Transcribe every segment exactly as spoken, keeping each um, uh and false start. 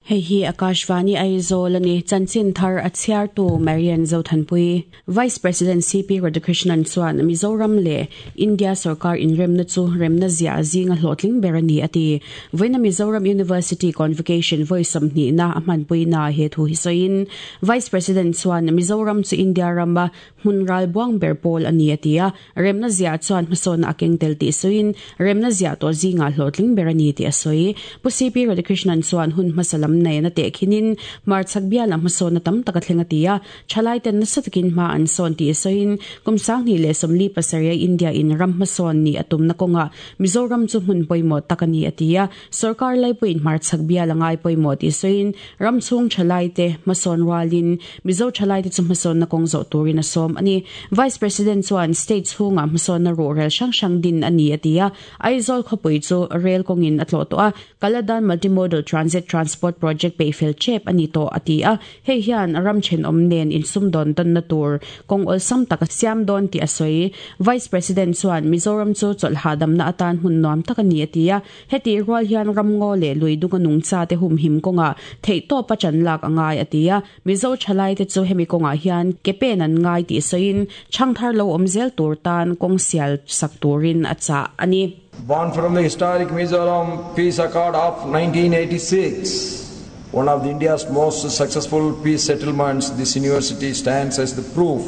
Hei hi Akashvani Aizawl ani chanchin thar a chhiar tu Marian Zothanpui Vice President C P Radhakrishnan chuan Mizoram le India sarkar inremna chu remna zia zinga hlawhtling ber ani ati voina Mizoram University Convocation voi sawmhnih na a hmanpui na he thu hi sawiin Vice President chuan Mizoram chu India rama hmun ral buang ber pawl ani atia remna zia chuan hmasawn a keng tel ti sawiin remna zia to zinga hlawhtling ber ani ti a sawi Pu C P Radhakrishnan chuan hun hmasalam nei na te khinin mar chak bia lam hmasawn na tam taka thlenga tia thalai ten nasa takin ma an sawn ti sawiin kum sang ni le somli pasaria India in ram hmasawn ni atum na konga Mizoram chu hmun pawimawh takani atia sarkar laipuin mar chak bia langai pawimawh ti sawiin ram chung thalai te hmasawn walin Mizo thalai te chu hmasawn na kong zo turin a som ani Vice President chuan state chhunga hmasawn na ro rel sang sang din ani atia Aizawl khawpui chu rail kongin atlo to a Kaladan Multimodal Transit Transport Project pe fel chep ani to atia hei hian ram chen om nen in sum don tan na tur kong ol sam tak siam don ti asoi Vice President chuan Mizoram chu chol hadam na atan hun nom tak ani atia heti rual hian ram ngo le lui dunga nung cha te hum him konga thei to pa chan lak angai atia Mizo thalai te chu hemi konga hian ke pen an ngai ti soin changthar lo omzel tur tan kong sial sak turin acha ani. Born from the historic Mizoram Peace Accord of nineteen eighty-six, one of the India's most successful peace settlements, this university stands as the proof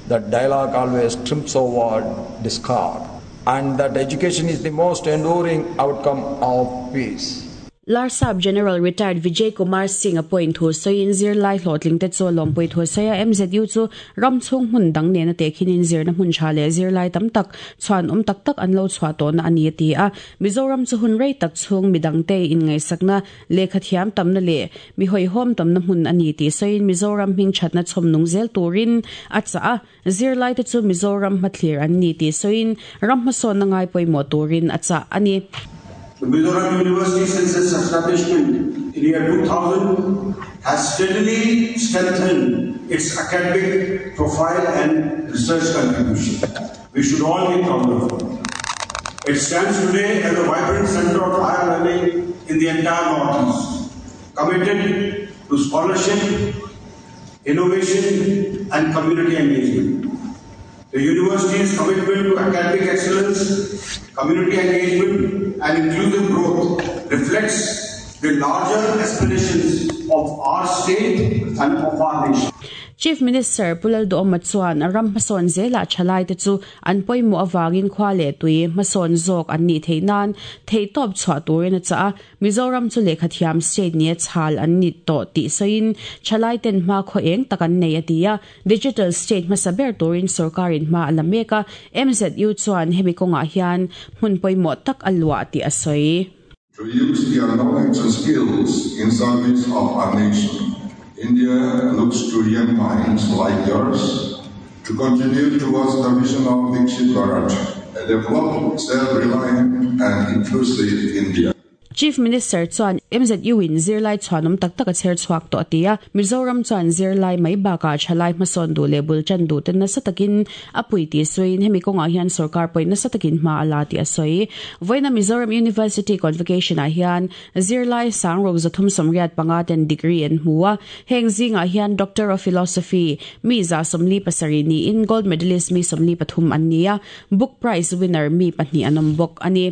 that dialogue always triumphs over discord and that education is the most enduring outcome of peace. Larsap General Retired Vijay Kumar Singh appoint thu soin zir lai hlotling te chu lompui thu saya M Z U chu ram chung hun dang ne na te khinin zir na hun tha le zir lai tam tak chuan um tak tak an lo chwa to na ani ti a Mizoram chu hun rei tak chung midang te in ngai sakna lekha thiam tam na le mi hoi hom tam na hun ani ti soin Mizoram hing thatna chom nung zel turin a cha a zir lai te chu Mizoram mathlir an ni ti soin ram ma son na ngai poimo turin a cha ani. The Mizoram University, since its establishment in year two thousand, has steadily strengthened its academic profile and research contribution. We should all be proud of it. It stands today as a vibrant center of higher learning in the entire Northeast, committed to scholarship, innovation, and community engagement. The university's commitment to academic excellence, community engagement, and inclusive growth reflects the larger aspirations of our state and of our nation. Chief Minister Pu Lalduhoma chuan ram hmasawn zela thalai te chu an pawimawh awangin khwa le tui hmasawn zawk an ni thei nan thei tawp chhuah turin a cha a Mizoram chu lehkha thiam state ni a chhal an ni tawh tih sawiin thalai ten hma khaw eng tak an nei a ti a digital state hmasa ber turin sarkarin hma a la mek a M Z U chuan hemi kawngah hian hmun pawimawh tak a luah tih a sawi. To use their knowledge and skills in service of our nation. India looks to young minds like yours to contribute towards the vision of Viksit Bharat, a developed, self-reliant and inclusive India. Chief Minister chuan M Z U in zirlai chuanum tak tak a cher chuak to atia Mizoram chuan zirlai mai baka thalai hmasawn du le bul chan du ten nasa takin apui ti suin hemi konga hian sarkar poi nasa takin hma ala ti a soi voina Mizoram University Convocation a hian zirlai sangrok zathum somriat panga ten degree an hmuwa heng zinga hian Doctor of Philosophy mi za somli pasari ni in gold medalist mi somli pathum an nia book prize winner mi pahnih anom bok ani.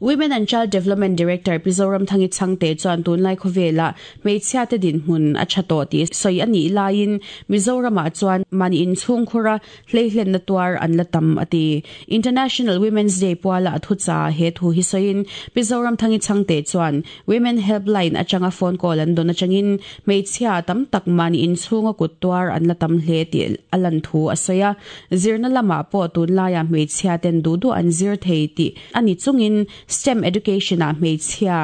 Women and Child Development Director Pi Zoramthangi Chhangte chuan tunlai khawvela hmeichhia te din hmun a tha tawh ti sawi ani laiin Mizoramah chuan mani in chhung khura hleihlen na tuar an la tam ati International Women's Day puala a thucha he thu hi sawiin Pi Zoramthangi Chhangte chuan Women Helpline atanga phone call an don atangin hmeichhia tam tak mani in chhunga kut tuar an la tam hle ti alan thu a sawia zirna lama pawh tunlaia hmeichhia ten du du an zir thei ti ani chungin STEM education a hmeichhia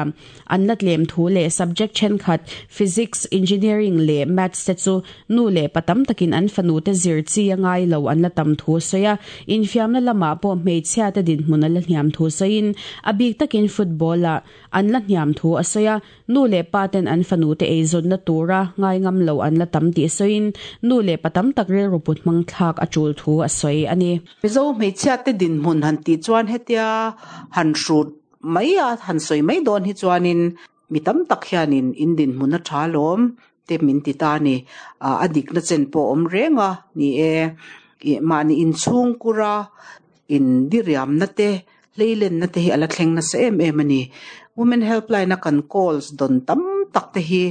an la tlem thu le subject then khat physics, engineering le maths te chu nu le patam takin an fanu te zir chi angai lo an la tam thu soya infiam na lama pawh hmeichhia te din hmun la hniam thu soin abik takin football a an la hniam thu a soya nu le pa ten an fanu te eizon na tura ngai ngam lo an la tam ti soin nu le patam tak rel ruput mang thlak a chul thu a soi ani. Mizo hmeichhia te din hmun han ti chuan hetia han hrut mai a han soi mai dawn hi chuanin Mi tam tak hianin in dinhmun a tha lawm te min ti ta ni. A dikna chen pawh awm reng a ni e. Mahni inchhungkura in diriamna te hleilenna te hi ala thleng nasa em em a ni. Women helpline a kan calls don tam tak te hi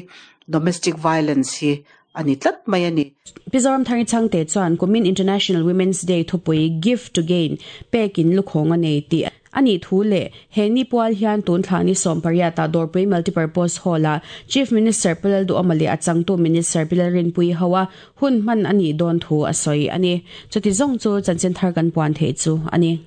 domestic violence hi ani tlat mai ani. Pi Zoramthangi Chhangte chuan kumin International Women's Day thupui Give to Gain pekin lukhawng a nei tih ani thu leh he ni pual hian tun thla ni sawm pariat ah Dawrpui Multipurpose Hall ah Chief Minister Pu Lalduhawma leh a changtu Minister Pi Lalrinpuii ho a hun hman a nih dawn thu a sawi a ni. Chuti zawng chu chanchin thar kan puan theih chu a ni.